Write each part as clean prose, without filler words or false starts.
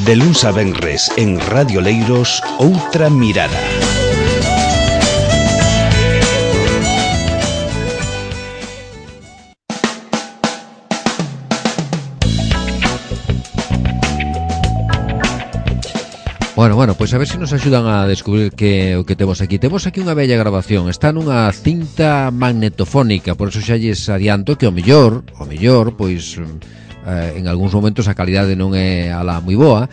De luns a venres en Radio Leiros, Outra Mirada. Bueno, pois a ver se nos axudan a descubrir o que temos aquí. Temos aquí unha bella grabación, está nunha cinta magnetofónica, por eso xa lles adianto que o mellor, pois en algúns momentos a calidade non é alá moi boa,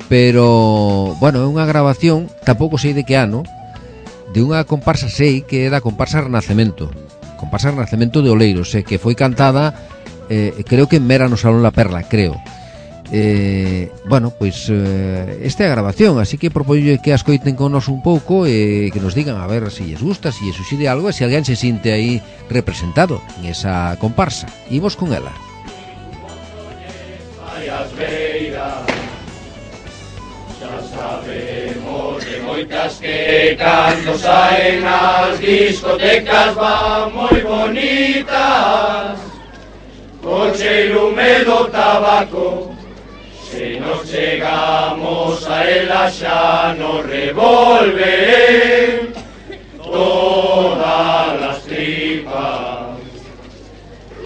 pero, bueno, é unha grabación, tampouco sei de que ano, de unha comparsa, sei que é da comparsa Renacemento de Oleiros, que foi cantada, creo que en Mera no Salón La Perla, creo. Bueno, pois esta é a grabación, así que propoño que as coiten con nos un pouco e que nos digan a ver se lles gusta, se lles suxide algo e se alguén se sinte aí representado en esa comparsa. Imos con ela. Xa sabemos de moitas que cando saen as discotecas van moi bonitas, co cheiro do tabaco. Se nos chegamos a ela xa nos revolven todas as tripas.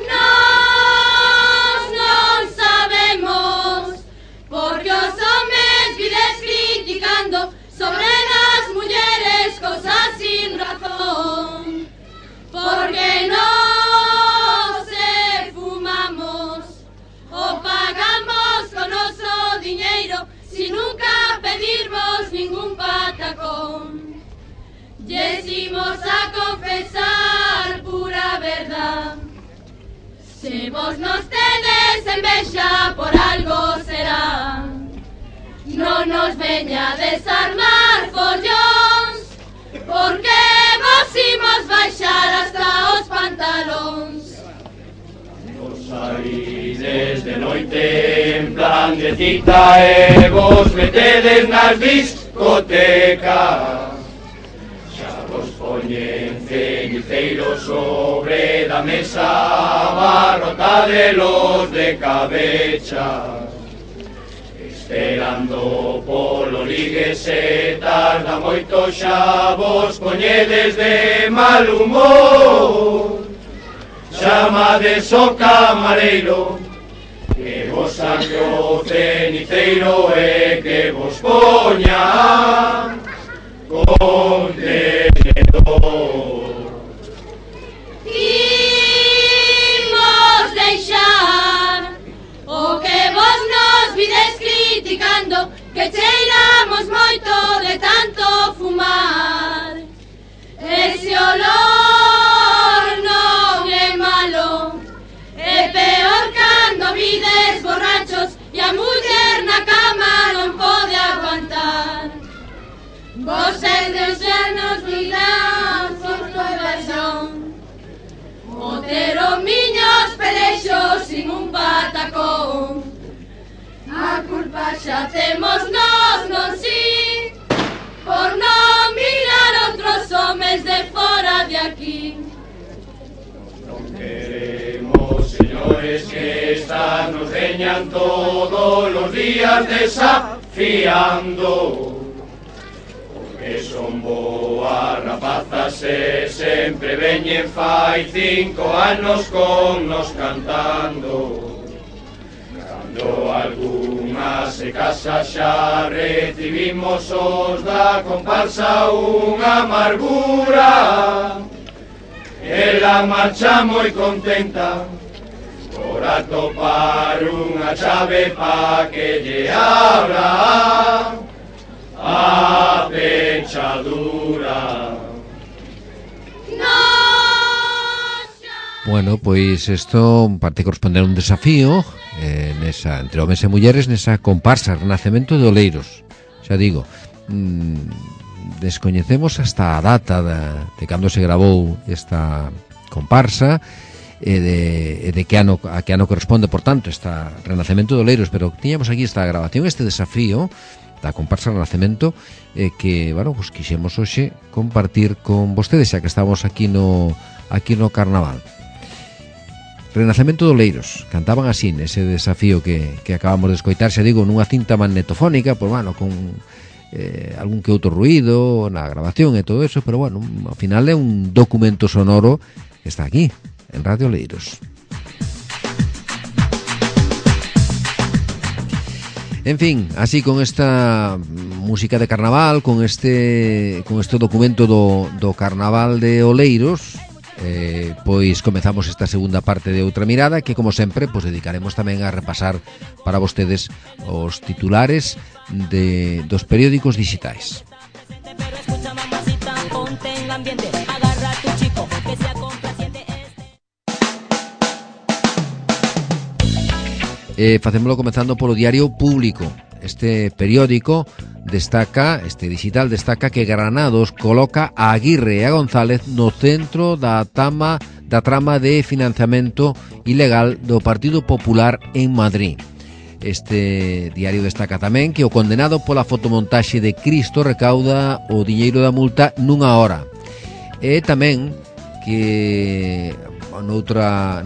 Nós non sabemos porque os homes vides criticando sobre as mulleres cosas sin razón, porque nós se fumamos o pagamos con noso diñeiro sin nunca pedirmos ningún patacón. Decimos a confesar pura verdad, se vos nos tedes envexa por algo será. Non nos veña a desarmar follóns, porque vos imos baixar hasta os pantalóns. Saídes de noite en plan de cita e vos metedes nas discotecas. Xa vos poñen ceniceiros sobre da mesa, abarrotadelos de cabeza. Esperando polo ligue se tarda moito, xa vos poñedes de mal humor. Chamades o camareiro que vos saque o ceniceiro e que vos poña con tenedor. Imos deixar o que vos nos vides criticando, que cheiramos moito de tanto fumar. Ese olor non é malo, é peor cando vides borrachos e a muller na cama non pode aguantar. Vos edes xenos mirán por corazón, o ter o miños pelexos sin un patacón. A culpa xa temos nós, non si, por non mirar outros homes de fora de aquí. Non queremos, señores, que estas nos veñan todos os días desafiando, porque son boas rapazas e sempre veñen fai 5 anos con nos cantando. Cando algunha se casa xa recibimos os da comparsa unha amargura. Ela marcha moi contenta por atopar unha chave pa que lle abra a pechadura. Bueno, pois isto parte corresponder a un desafío entre homes e mulleres nesa comparsa Renacemento de Oleiros. Xa digo, descoñecemos hasta a data de cando se gravou esta comparsa e de que ano corresponde, por tanto, esta Renacemento de Oleiros, pero tiñamos aquí esta grabación, este desafío da comparsa Renacemento que, bueno, pues quixemos hoxe compartir con vostedes, xa que estamos aquí no Carnaval. Renacemento de Oleiros, cantaban así nese desafío que acabamos de escoitar, xa digo, nunha cinta magnetofónica, pois bueno, con algún que outro ruido na grabación e todo eso, pero bueno, ao final é un documento sonoro que está aquí, en Radio Oleiros. En fin, así con esta música de carnaval, con este documento do Carnaval de Oleiros, pois comezamos esta segunda parte de Outra Mirada, que como sempre pois dedicaremos tamén a repasar para vostedes os titulares dos periódicos digitais. Facémolo comezando polo Diario Público. Este periódico destaca, este digital destaca que Granados coloca a Aguirre e a González no centro da trama de financiamento ilegal do Partido Popular en Madrid. Este diario destaca tamén que o condenado pola fotomontaxe de Cristo recauda o diñeiro da multa nunha hora. E tamén que noutra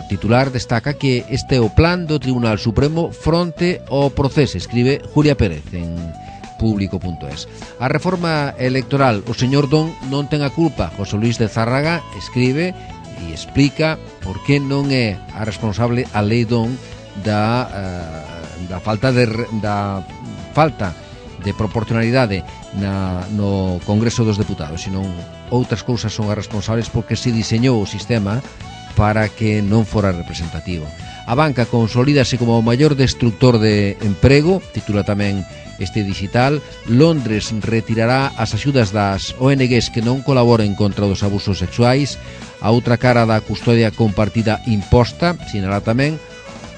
titular destaca que este é o plan do Tribunal Supremo fronte ao proceso, escribe Julia Pérez en público.es. A reforma electoral, o señor Don non ten a culpa. José Luis de Zárraga escribe e explica por que non é a responsable a lei Don da falta de proporcionalidade no Congreso dos Deputados, senón outras cousas son as responsables porque se diseñou o sistema para que non fora representativo. A banca consolídase como o maior destructor de emprego, titula tamén este digital. Londres retirará as axudas das ONGs que non colaboren contra os abusos sexuais. A outra cara da custodia compartida imposta, sinala tamén.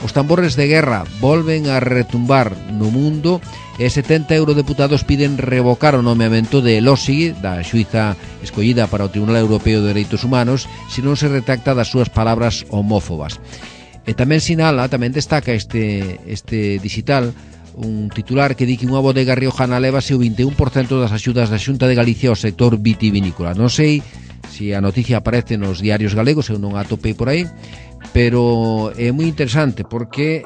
Os tambores de guerra volven a retumbar no mundo e 70 eurodeputados piden revocar o nomeamento de Elósegui, da xuíza escollida para o Tribunal Europeo de Dereitos Humanos, se non se retracta das súas palabras homófobas. E tamén sinala, tamén destaca este digital, un titular que di que unha bodega riojana levase o 21% das axudas da Xunta de Galicia ao sector vitivinícola. Non sei se a noticia aparece nos diarios galegos, eu non a atopei por aí, pero é moi interesante porque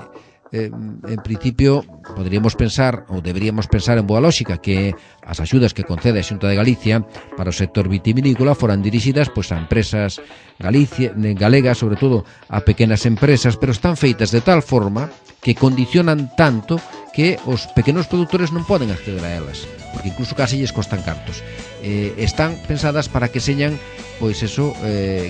en principio poderíamos pensar ou deberíamos pensar en boa lógica que as axudas que concede a Xunta de Galicia para o sector vitivinícola foran dirixidas pois a empresas galegas, sobre todo a pequenas empresas, pero están feitas de tal forma que condicionan tanto que os pequenos produtores non poden acceder a elas, porque incluso case lles costan cartos. Están pensadas para que señan pois eso,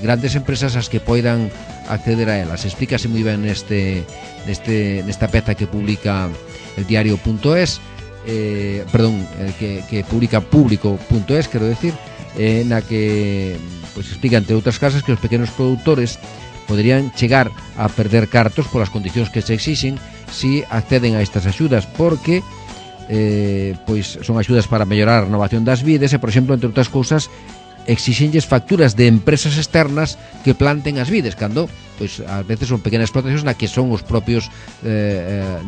grandes empresas as que poidan acceder a elas. Explícase moi ben nesta peza que publica el diario.es, que publica público.es, quero decir, na que pois explica, entre outras casas, que os pequenos produtores poderían chegar a perder cartos polas condicións que se exixen si acceden a estas axudas, porque pois son axudas para mellorar a renovación das vides e, por exemplo, entre outras cousas, exixenlles facturas de empresas externas que planten as vides, cando pois ás veces son pequenas explotacións na que son os propios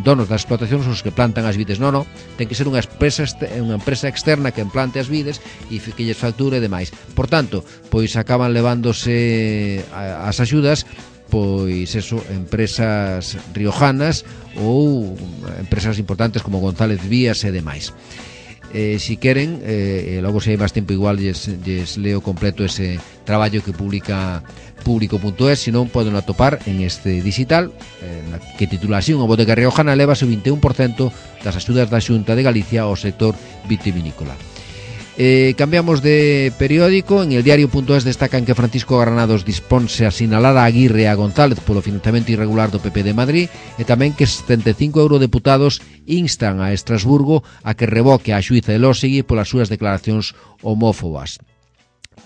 donos das explotacións os que plantan as vides. Non, ten que ser unha empresa externa que plante as vides e que lles facture e demais. Por tanto, pois acaban levándose as axudas pois eso, empresas riojanas ou empresas importantes como González Vías e demais. Si queren, logo se hai máis tempo igual lles leo completo ese traballo que publica público.es, se non poden atopar en este digital que titula así: unha bodega riojana levase o 21% das axudas da Xunta de Galicia ao sector vitivinícola. Cambiamos de periódico. En el diario.es destacan que Francisco Granados disponse a sinalar a Aguirre e a González polo financiamento irregular do PP de Madrid, e tamén que 75 eurodeputados instan a Estrasburgo a que revoque a xuíza Elósegui polas súas declaracións homófobas.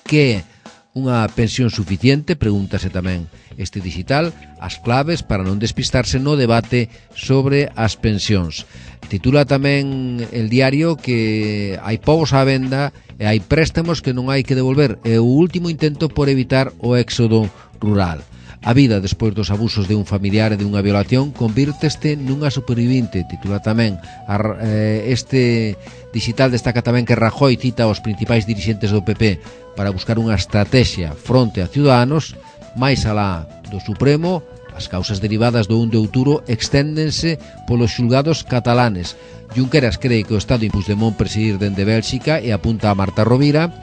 Que unha pensión suficiente, pregúntase tamén este digital, as claves para non despistarse no debate sobre as pensións. Titula tamén el diario que hai povos á venda e hai préstamos que non hai que devolver, é o último intento por evitar o éxodo rural. A vida despois dos abusos de un familiar e de unha violación convírteste nunha supervivinte, titula tamén. Este digital destaca tamén que Rajoy cita aos principais dirixentes do PP para buscar unha estrategia fronte a Ciudadanos, máis alá do Supremo, as causas derivadas do 1 de outubro exténdense polos xulgados catalanes. Junqueras cree que o Estado Puigdemont presidir dende Bélxica e apunta a Marta Rovira.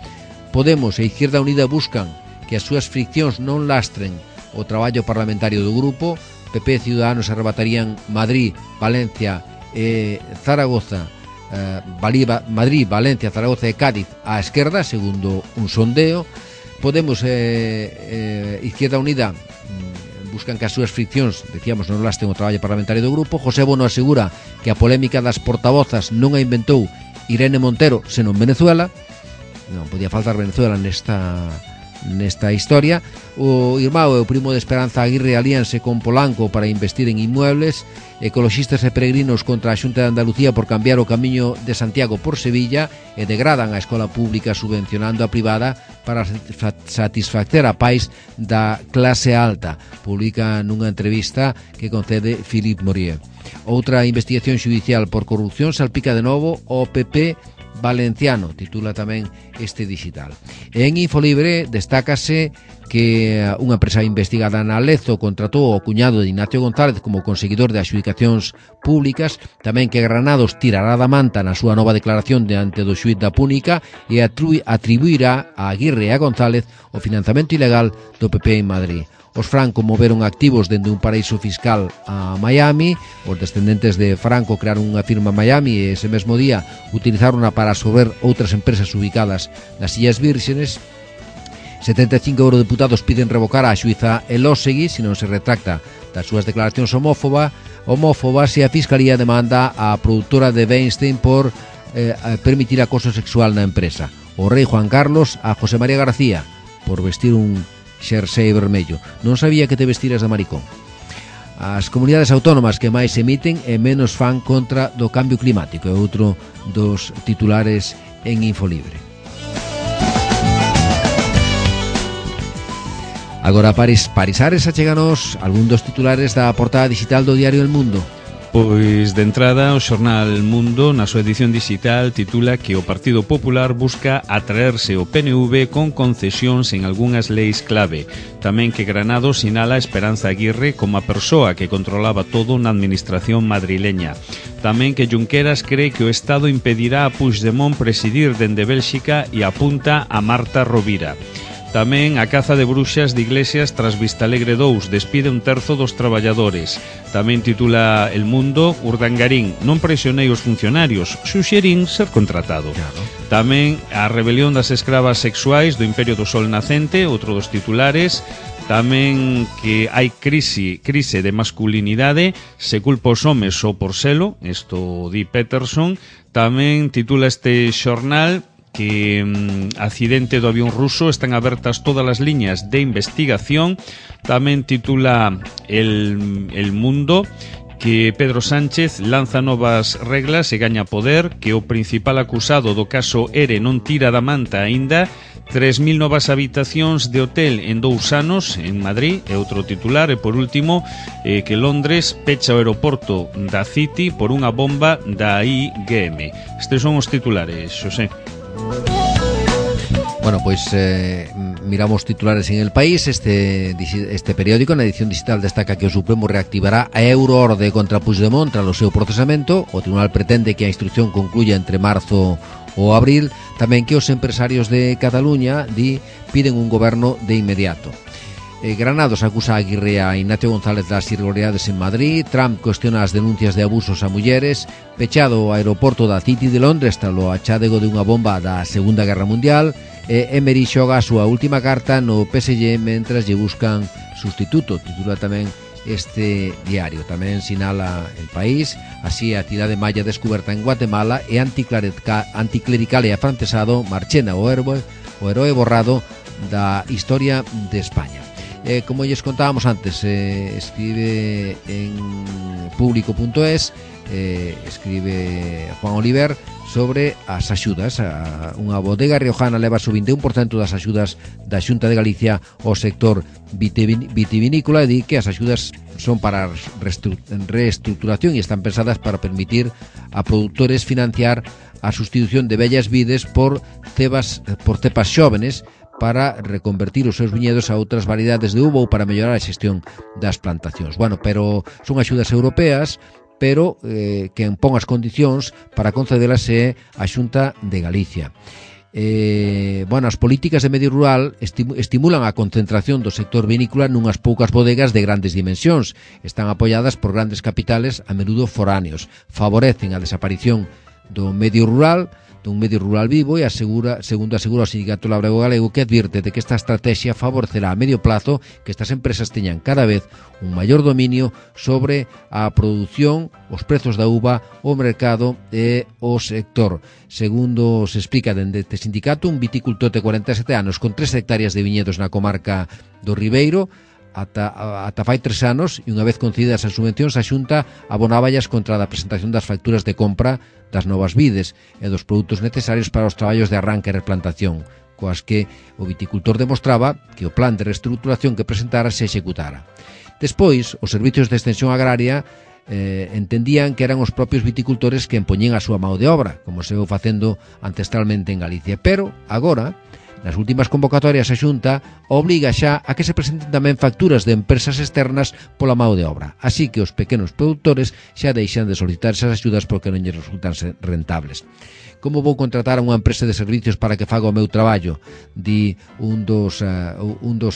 Podemos e Izquierda Unida buscan que as súas friccións non lastren o traballo parlamentario do grupo. PP e Ciudadanos arrebatarían Madrid, Valencia e Zaragoza, Madrid, Valencia, Zaragoza e Cádiz á esquerda, segundo un sondeo. Podemos Izquierda Unida buscan que as súas friccións, decíamos, non lasten o traballo parlamentario do grupo. José Bono asegura que a polémica das portavozas non a inventou Irene Montero, senón Venezuela. Non podía faltar Venezuela nesta historia. O irmão e o primo de Esperanza Aguirre alíanse con Polanco para investir en inmuebles. Ecoloxistas e peregrinos contra a Xunta de Andalucía por cambiar o camiño de Santiago por Sevilla e degradan a escola pública subvencionando a privada para satisfacer a pais da clase alta, publica nunha entrevista que concede Philippe Morier. Outra investigación xudicial por corrupción salpica de novo o PP valenciano, titula tamén este digital. En Infolibre destácase que unha empresa investigada na Lezo contratou ao cuñado de Ignacio González como conseguidor de adxudicacións públicas, tamén que Granados tirará da manta na súa nova declaración diante do xuíz da Púnica e atribuirá a Aguirre e a González o financiamento ilegal do PP en Madrid. Os Franco moveron activos dende un paraíso fiscal a Miami. Os descendentes de Franco crearon unha firma en Miami e ese mesmo día utilizaronha para absorber outras empresas ubicadas nas Illas Vírgenes. 75 eurodeputados piden revocar a xuíza Elósegui se non se retracta das súas declaracións homófobas e a Fiscalía demanda a produtora de Weinstein por permitir acoso sexual na empresa. O rei Juan Carlos a José María García por vestir un xersei vermello. Non sabía que te vestiras de maricón. As comunidades autónomas que máis emiten e menos fan contra do cambio climático é outro dos titulares en Infolibre. Agora Paris Ares acheganos algún dos titulares da portada digital do diario El Mundo. Pois, de entrada, o xornal Mundo, na súa edición digital, titula que o Partido Popular busca atraerse o PNV con concesións en algunhas leis clave. Tamén que Granados sinala Esperanza Aguirre como a persoa que controlaba todo na administración madrileña. Tamén que Junqueras cree que o Estado impedirá a Puigdemont presidir dende Bélxica e apunta a Marta Rovira. Tamén a caza de bruxas de Iglesias tras Vistalegre 2 despide un terzo dos traballadores. Tamén titula El Mundo, Urdangarín non presionei os funcionarios, suxerín ser contratado. Claro. Tamén a rebelión das escravas sexuais do Imperio do Sol Nacente, outro dos titulares. Tamén que hai crise de masculinidade, se culpa os homes ou por selo, isto di Peterson. Tamén titula este xornal que accidente do avión ruso, están abertas todas as liñas de investigación. Tamén titula El Mundo que Pedro Sánchez lanza novas reglas e gaña poder, que o principal acusado do caso ERE non tira da manta aínda. 3.000 novas habitacións de hotel en 2 anos en Madrid, é outro titular. E por último, que Londres pecha o aeroporto da City por unha bomba da IGM. Estes son os titulares, Xosé. Bueno, pois miramos titulares en El País. Este periódico na edición digital destaca que o Supremo reactivará a euroorde contra Puigdemont tras o seu procesamento. O tribunal pretende que a instrucción concluya entre marzo ou abril. Tamén que os empresarios de Cataluña piden un goberno de inmediato. Granados acusa a Aguirre a Ignacio González das irregularidades en Madrid. Trump cuestiona as denuncias de abusos a mulleres. Pechado o aeroporto da City de Londres tras o achádego de unha bomba da Segunda Guerra Mundial. Emery xoga a súa última carta no PSG mentras lle buscan sustituto, titula tamén este diario. Tamén sinala El País, así a cidade maya descuberta en Guatemala e anticlerical e afrancesado Marchena, o heroe borrado da historia de España. Como lles contábamos antes, escribe en público.es, escribe Juan Oliver sobre as axudas. Unha bodega riojana leva o 21% das axudas da Xunta de Galicia ao sector vitivinícola e di que as axudas son para reestructuración e están pensadas para permitir a produtores financiar a sustitución de vellas vides por cepas xóvenes para reconvertir os seus viñedos a outras variedades de uva ou para mellorar a xestión das plantacións. Bueno, pero son axudas europeas, pero quen pon as condicións para concederas é a Xunta de Galicia. Bueno, as políticas de medio rural estimulan a concentración do sector vinícola nunhas poucas bodegas de grandes dimensións. Están apoiadas por grandes capitales a menudo foráneos. Favorecen a desaparición do medio rural, dun medio rural vivo, e segundo asegura o Sindicato Labrego Galego, que advirte de que esta estrategia favorecerá a medio plazo que estas empresas teñan cada vez un maior dominio sobre a produción, os prezos da uva, o mercado e o sector. Segundo se explica dende este sindicato, un viticultor de 47 anos con 3 hectáreas de viñedos na comarca do Ribeiro ata fai 3 anos, e unha vez concedidas as subvencións, a Xunta abonáballas contra a presentación das facturas de compra das novas vides e dos produtos necesarios para os traballos de arranque e replantación, coas que o viticultor demostraba que o plan de reestruturación que presentara se executara. Despois, os servicios de extensión agraria entendían que eran os propios viticultores que empoñían a súa mão de obra, como se veu facendo ancestralmente en Galicia, pero agora, nas últimas convocatorias, a Xunta obriga xa a que se presenten tamén facturas de empresas externas pola mão de obra. Así que os pequenos produtores xa deixan de solicitar esas axudas porque non lles resultan rentables. Como vou contratar a unha empresa de servicios para que faga o meu traballo? Di un dos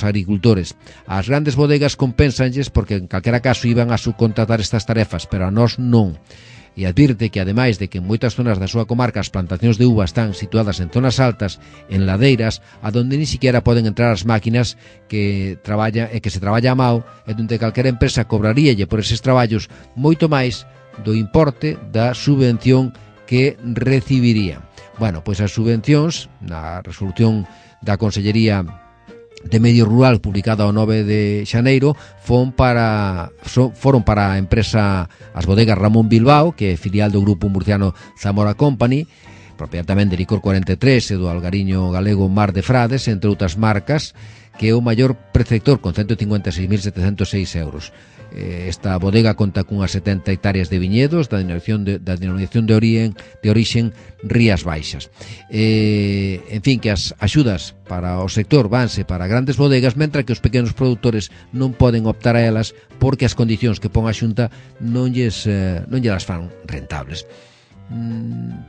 agricultores. As grandes bodegas compensanlles porque en calquera caso iban a subcontratar estas tarefas, pero a nós non. E advirte que, ademais de que en moitas zonas da súa comarca as plantacións de uva están situadas en zonas altas, en ladeiras, a donde ni siquiera poden entrar as máquinas que se traballa a mao, e donde calquera empresa cobraríalle por eses traballos moito máis do importe da subvención que recibiría. Bueno, pois as subvencións, na resolución da Consellería de Medio Rural publicada o 9 de xaneiro foron para a empresa as bodegas Ramón Bilbao, que é filial do grupo murciano Zamora Company, propiedade tamén de Licor 43 e do algariño galego Mar de Frades, entre outras marcas, que é o maior preceptor con 156.706 euros. Esta bodega conta cunhas 70 hectáreas de viñedos da denominación de orixen Rías Baixas. En fin, que as axudas para o sector vanse para grandes bodegas, mentre que os pequenos produtores non poden optar a elas porque as condicións que pon a Xunta non lles fan rentables.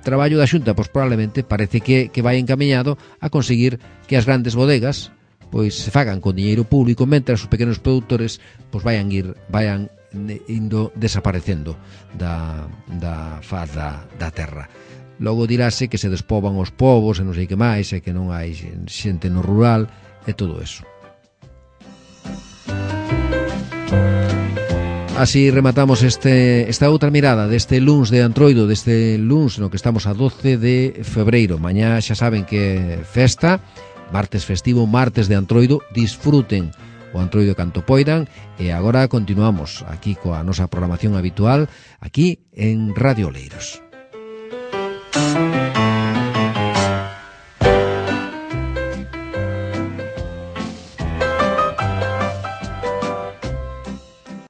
Traballo da Xunta, pois probablemente parece que vai encaminhado a conseguir que as grandes bodegas pois se fagan con diñeiro público, mentre os pequenos produtores pois vayan indo desaparecendo da faz da terra. Logo dirase que se despoban os povos e non sei que máis, e que non hai xente no rural e todo eso. Así rematamos esta outra mirada deste luns de Antroido, deste luns no que estamos a 12 de febreiro. Mañá xa saben que festa, martes festivo, martes de Antroido. Disfruten o Antroido canto poidan, e agora continuamos aquí coa nosa programación habitual aquí en Radio Oleiros.